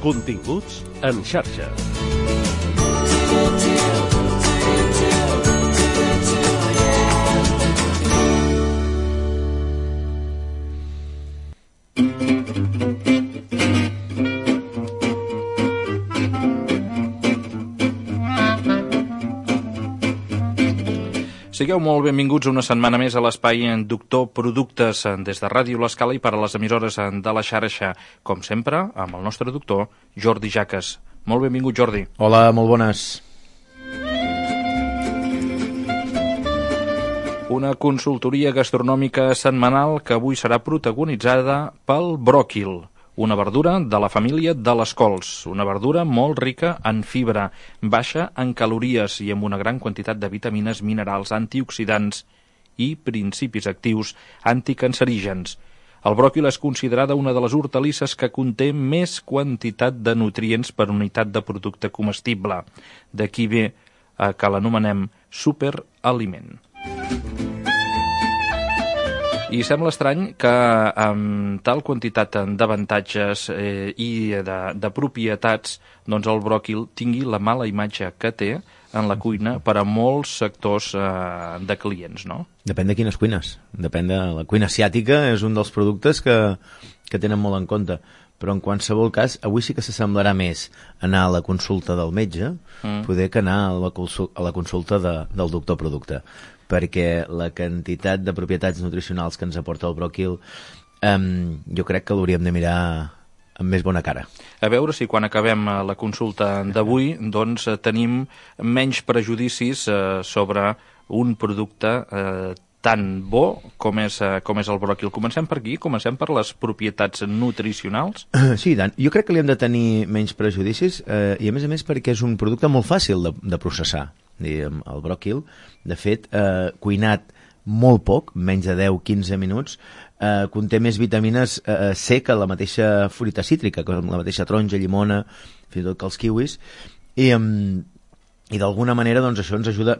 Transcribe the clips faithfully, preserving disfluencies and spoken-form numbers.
Continguts en xarxa. Sigueu molt benvinguts una setmana més a l'espai Doctor Productes des de Ràdio L'Escala i per a les emissores de la xarxa, com sempre, amb el nostre doctor Jordi Jaques. Molt benvingut, Jordi. Hola, molt bones. Una consultoria gastronòmica setmanal que avui serà protagonitzada pel bròquil, una verdura de la família de les cols, una verdura molt rica en fibra, baixa en calories i amb una gran quantitat de vitamines, minerals, antioxidants i principis actius anticancerígens. El bròquil és considerada una de les hortalisses que conté més quantitat de nutrients per unitat de producte comestible. D'aquí ve eh, que l'anomenem superaliment. I sembla estrany que amb tal quantitat d'avantatges eh, i de, de propietats, doncs el bròquil tingui la mala imatge que té en la cuina per a molts sectors eh, de clients, no? Depèn de quines cuines. Depèn de la cuina asiàtica, és un dels productes que, que tenen molt en compte. Però en qualsevol cas, avui sí que s'assemblarà més anar a la consulta del metge, mm. poder que anar a la, a la consulta de, del doctor producte, perquè la quantitat de propietats nutricionals que ens aporta el bròquil um, jo crec que l'hauríem de mirar amb més bona cara. A veure si quan acabem la consulta d'avui doncs tenim menys prejudicis eh, sobre un producte eh, tan bo com és, eh, com és el bròquil. Comencem per aquí? Comencem per les propietats nutricionals? Sí, Dan. Jo crec que li hem de tenir menys prejudicis eh, i a més a més perquè és un producte molt fàcil de, de processar. Diguem, el bròquil, de fet, eh, cuinat molt poc, menys de deu a quinze minuts, eh, conté més vitamines eh, C que la mateixa fruita cítrica, com la mateixa taronja, llimona, fins i tot que els kiwis, i, um, i d'alguna manera doncs, això ens ajuda,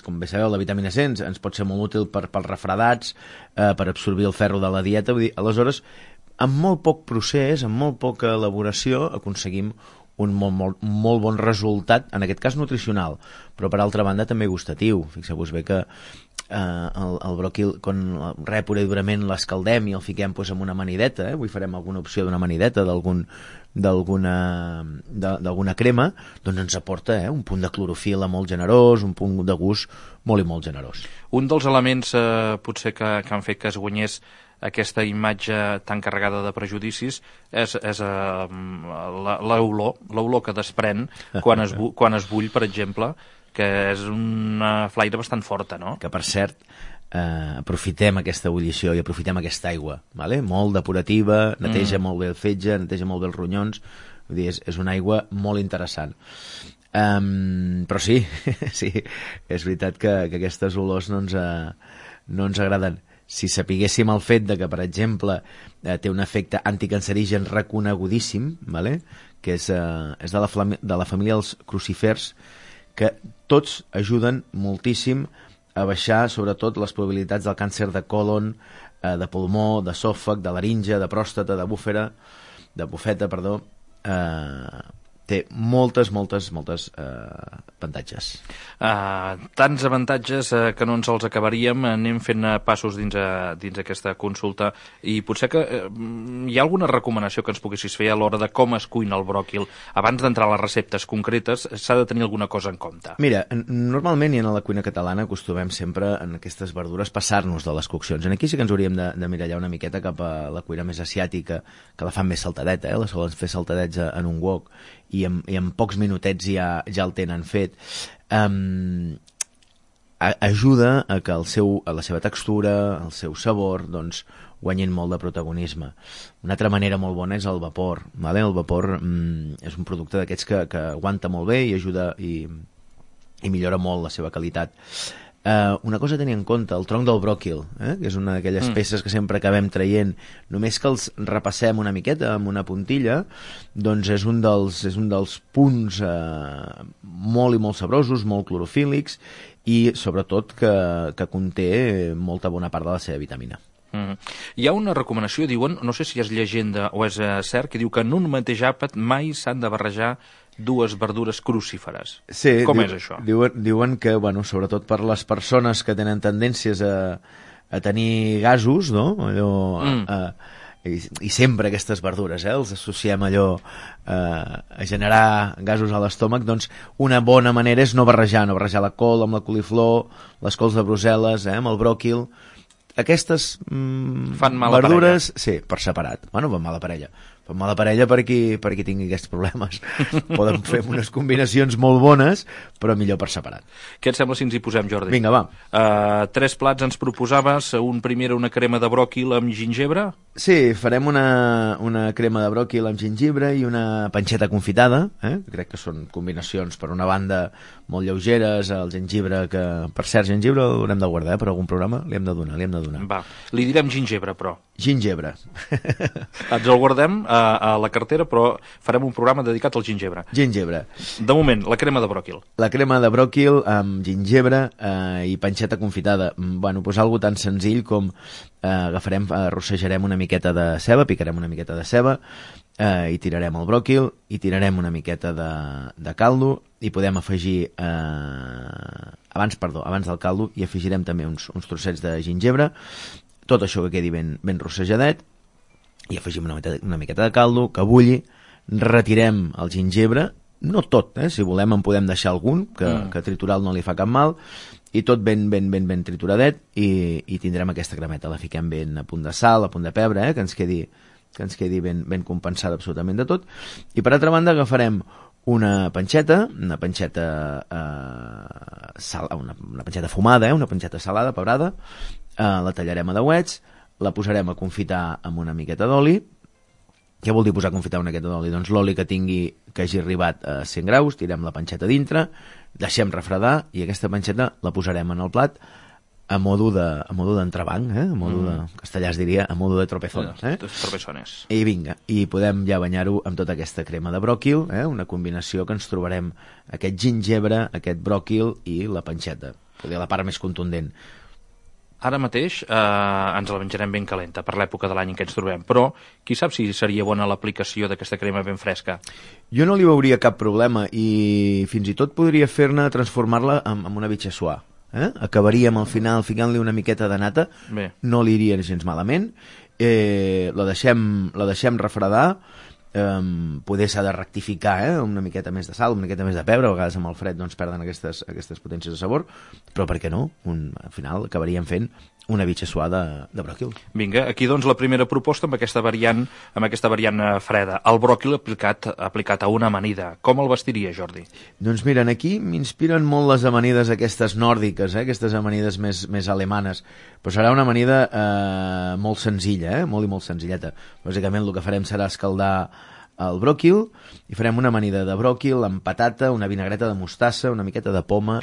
com bé sabeu, la vitamina C ens, ens pot ser molt útil per, pels refredats, eh, per absorbir el ferro de la dieta, vull dir, aleshores, amb molt poc procés, amb molt poca elaboració, aconseguim un molt, molt, molt bon resultat, en aquest cas nutricional, però per altra banda també gustatiu. Fixeu-vos bé que eh, el, el bròquil, quan re pura i durament l'escaldem i el fiquem pues, amb una amanideta, eh? Avui farem alguna opció d'una amanideta, d'algun d'alguna d'alguna crema, doncs ens aporta eh, un punt de clorofil·la molt generós, un punt de gust molt i molt generós. Un dels elements eh, potser que, que han fet que es guanyés aquesta imatge tan carregada de prejudicis és, és uh, l'olor, l'olor que desprèn quan es, bu quan es bull, per exemple, que és una flaire bastant forta, no? Que, per cert, eh, aprofitem aquesta ebullició i aprofitem aquesta aigua, vale? Molt depurativa, neteja mm. molt bé el fetge, neteja molt bé els ronyons, vull dir, és, és una aigua molt interessant. Um, però sí, sí, és veritat que, que aquestes olors no ens, uh, no ens agraden. Si sapiguéssim el fet de que, per exemple, eh, té un efecte anticancerigen reconegudíssim, vale? Que és, eh, és de, la de la família dels crucifers, que tots ajuden moltíssim a baixar, sobretot, les probabilitats del càncer de còlon, eh, de pulmó, d'esòfag, de laringe, de pròstata, de búfera, de bufeta, perdó, eh, té moltes, moltes, moltes eh, avantatges. Uh, tants avantatges uh, que no ens els acabaríem. Anem fent uh, passos dins, uh, dins aquesta consulta i potser que uh, hi ha alguna recomanació que ens poguessis fer a l'hora de com es cuina el bròquil. Abans d'entrar a les receptes concretes s'ha de tenir alguna cosa en compte. Mira, normalment i en la cuina catalana acostumem sempre en aquestes verdures passar-nos de les coccions. En aquí sí que ens hauríem de, de mirallar una miqueta cap a la cuina més asiàtica, que la fan més saltadeta, eh? La solen fer saltadets en un wok i en, i en pocs minutets ja, ja el tenen fet. Um, a, ajuda a que el seu, a la seva textura, el seu sabor, doncs, guanyin molt de protagonisme. Una altra manera molt bona és el vapor. Vale? El vapor mm, és un producte d'aquests que, que aguanta molt bé i ajuda i, i millora molt la seva qualitat. Uh, una cosa a tenir en compte, el tronc del bròquil, eh? Que és una d'aquelles mm. peces que sempre acabem traient, només que els repassem una miqueta amb una puntilla, doncs és un dels, és un dels punts uh, molt i molt sabrosos, molt clorofílics i sobretot que, que conté molta bona part de la seva vitamina. Mm. Hi ha una recomanació, diuen, no sé si és llegenda o és eh, cert, que diu que en un mateix àpat mai s'han de barrejar dues verdures crucíferes. Sí, Com diu, és això? Diuen, diuen que, bueno, sobretot per les persones que tenen tendències a, a tenir gasos, no? Allò, mm. a, i, i sempre aquestes verdures, eh? Els associem allò eh, a generar gasos a l'estómac, doncs una bona manera és no barrejar, no barrejar la col amb la coliflor, les cols de Brussel·les, eh? Amb el bròquil. Aquestes mm, fan mala verdures, parella. sí, per separat. Bueno, fan mala parella. Fan mala parella per qui, per qui tingui aquests problemes. Poden fer unes combinacions molt bones, però millor per separat. Què et sembla si ens hi posem, Jordi? Vinga, va. Uh, tres plats ens proposaves, un primer una crema de bròquil amb gingebre? Sí, farem una, una crema de bròquil amb gingebre i una panxeta confitada, eh? Crec que són combinacions, per una banda, molt lleugeres, el gengibre, que per cert, gengibre l'haurem de guardar, eh? Per algun programa li hem de donar, li hem de donar. Va, li direm gingebre, però. Gingebre. Ens el guardem a, a la cartera, però farem un programa dedicat al gingebre. Gingebre. De moment, la crema de bròquil. La crema de bròquil amb gingebre eh, i panxeta confitada. Bueno, doncs algo tan senzill com eh, agafarem, arrossejarem una miqueta de ceba, picarem una miqueta de ceba, eh, i tirarem el bròquil, i tirarem una miqueta de, de caldo, i podem afegir, eh, abans, perdó, abans del caldo, i afegirem també uns, uns trossets de gingebre, tot això que quedi ben, ben rossejadet, i afegim una miqueta, una miqueta de caldo, que bulli, retirem el gingebre, no tot, eh? Si volem en podem deixar algun, que, mm. que tritural no li fa cap mal, i tot ben, ben, ben, ben trituradet, i, i tindrem aquesta cremeta. La fiquem ben a punt de sal, a punt de pebre, eh? que ens quedi, que ens quedi ben, ben compensada absolutament de tot. I per altra banda agafarem una panxeta, una panxeta eh, sal, una, una panxeta fumada, eh? Una panxeta salada, pebrada, eh, la tallarem a dauets, la posarem a confitar amb una miqueta d'oli. Què vol dir posar a confitar una miqueta d'oli? Doncs l'oli que tingui, que hagi arribat a cent graus, tirem la panxeta dintre, deixem refredar i aquesta panxeta la posarem en el plat a modo de, a modo d'entrebanc, eh? A modo de, castellà es diria, a modo de tropezones, eh? Tropezones. I vinga, i podem ja banyar-ho amb tota aquesta crema de bròquil, eh? Una combinació que ens trobarem aquest gingebre, aquest bròquil i la panxeta, poder la part més contundent. Ara mateix eh, ens la menjarem ben calenta per l'època de l'any en què ens trobem, però qui sap si seria bona l'aplicació d'aquesta crema ben fresca? Jo no li veuria cap problema i fins i tot podria fer-ne transformar-la en, en una bitxassuà. Eh? Acabaríem al final ficant-li una miqueta de nata. Bé. No li iria gens malament. Eh, la, deixem, la deixem refredar. Um, poder s'ha de rectificar, eh? Una miqueta més de sal, una miqueta més de pebre, a vegades amb el fred doncs perden aquestes, aquestes potències de sabor, però per què no? Un, al final acabaríem fent una bitxassuà de, de bròquil. Vinga, aquí doncs la primera proposta amb aquesta variant, amb aquesta variant freda, el bròquil aplicat, aplicat a una amanida. Com el vestiria, Jordi? Doncs mira, aquí m'inspiren molt les amanides aquestes nòrdiques, eh? Aquestes amanides més, més alemanes, però serà una amanida eh, molt senzilla, eh? Molt i molt senzilleta. Bàsicament el que farem serà escaldar el bròquil i farem una amanida de bròquil amb patata, una vinagreta de mostassa, una miqueta de poma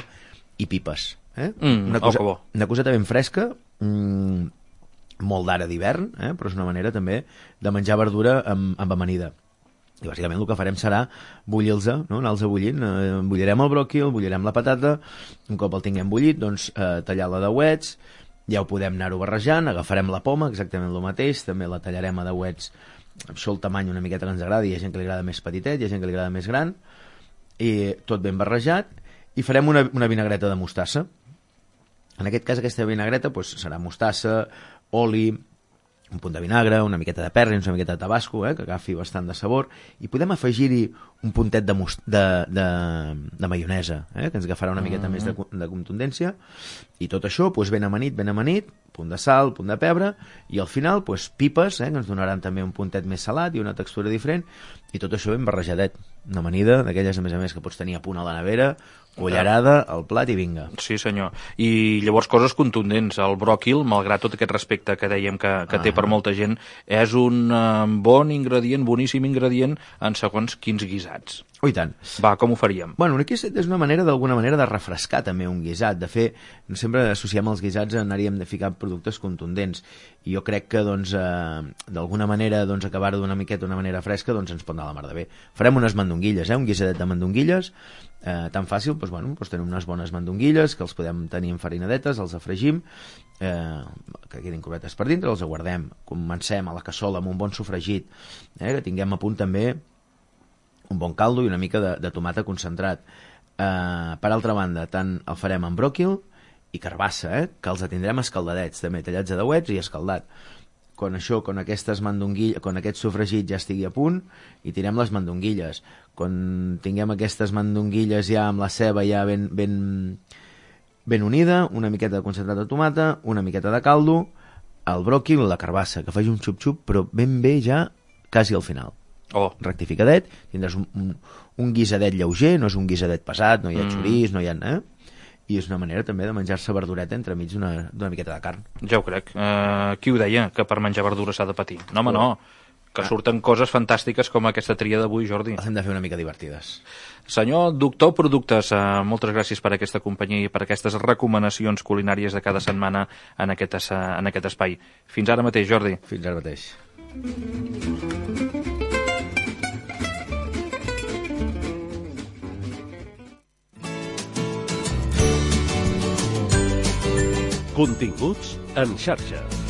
i pipes. Eh? Mm, una, cosa, oh, una coseta ben fresca, mm, molt d'ara d'hivern, eh? Però és una manera també de menjar verdura amb, amb amanida. I bàsicament el que farem serà bullir-los, no? Anar-los bullint. Eh, bullirem el bròquil, bullirem la patata, un cop el tinguem bullit, doncs eh, tallar-la a dauets, ja ho podem anar-ho barrejant, agafarem la poma, exactament el mateix, també la tallarem a dauets, això el tamany una miqueta que ens agrada, hi ha gent que li agrada més petitet, hi ha gent que li agrada més gran, i tot ben barrejat, i farem una, una vinagreta de mostassa. En aquest cas aquesta vinagreta doncs, serà mostassa, oli, un punt de vinagre, una miqueta de perrins, una miqueta de tabasco, eh, que agafi bastant de sabor, i podem afegir-hi un puntet de, de, de, de maionesa, eh, que ens agafarà una miqueta mm-hmm. més de, de contundència, i tot això doncs, ben amanit, ben amanit, punt de sal, punt de pebre, i al final doncs, pipes, eh, que ens donaran també un puntet més salat i una textura diferent, i tot això ben barrejadet. Una amanida d'aquelles, a més a més, que pots tenir a punt a la nevera, cullerada, al plat i vinga. Sí, senyor. I llavors coses contundents. El bròquil, malgrat tot aquest respecte que dèiem que, que ah. té per molta gent, és un uh, bon ingredient, boníssim ingredient en segons quins guisats. Oh, i tant. Va, com ho faríem? Bueno, aquí és una manera, d'alguna manera, de refrescar també un guisat, de fer... Sempre associem els guisats a anaríem de ficar productes contundents, i jo crec que, doncs, eh, d'alguna manera, doncs, acabar-ho d'una miqueta d'una manera fresca, doncs ens pot anar a la mar de bé. Farem unes mandonguilles, eh? Un guisadet de mandonguilles, eh, tan fàcil, doncs, bueno, doncs tenim unes bones mandonguilles, que els podem tenir enfarinadetes, els afregim, eh, que quedin cubetes per dintre, els aguardem, comencem a la cassola amb un bon sofregit, eh, que tinguem a punt també un bon caldo i una mica de, de tomata concentrat. Eh, per altra banda, tant el farem amb bròquil i carbassa, eh, que els tindrem escaldadets, també tallats a dauets i escaldat. Quan això, quan aquestes mandonguilles, quan aquest sofregit ja estigui a punt, i tirem les mandonguilles. Quan tinguem aquestes mandonguilles ja amb la ceba ja ben, ben, ben unida, una miqueta de concentrat de tomata, una miqueta de caldo, el bròquil i la carbassa, que faci un xup-xup, però ben bé ja quasi al final. Oh. Rectificadet, tindràs un, un, un guisadet lleuger, no és un guisadet pesat, no hi ha mm. xorís, no hi ha... Eh? I és una manera també de menjar-se verdureta entremig d'una miqueta de carn. Ja ho crec. Uh, qui ho deia, que per menjar verdura s'ha de patir? No, home, no. Que ah. surten coses fantàstiques com aquesta tria d'avui, Jordi. Les hem de fer una mica divertides. Senyor doctor Productes, uh, moltes gràcies per aquesta companyia i per aquestes recomanacions culinàries de cada setmana en aquest, uh, en aquest espai. Fins ara mateix, Jordi. Fins ara mateix. Continguts en xarxa.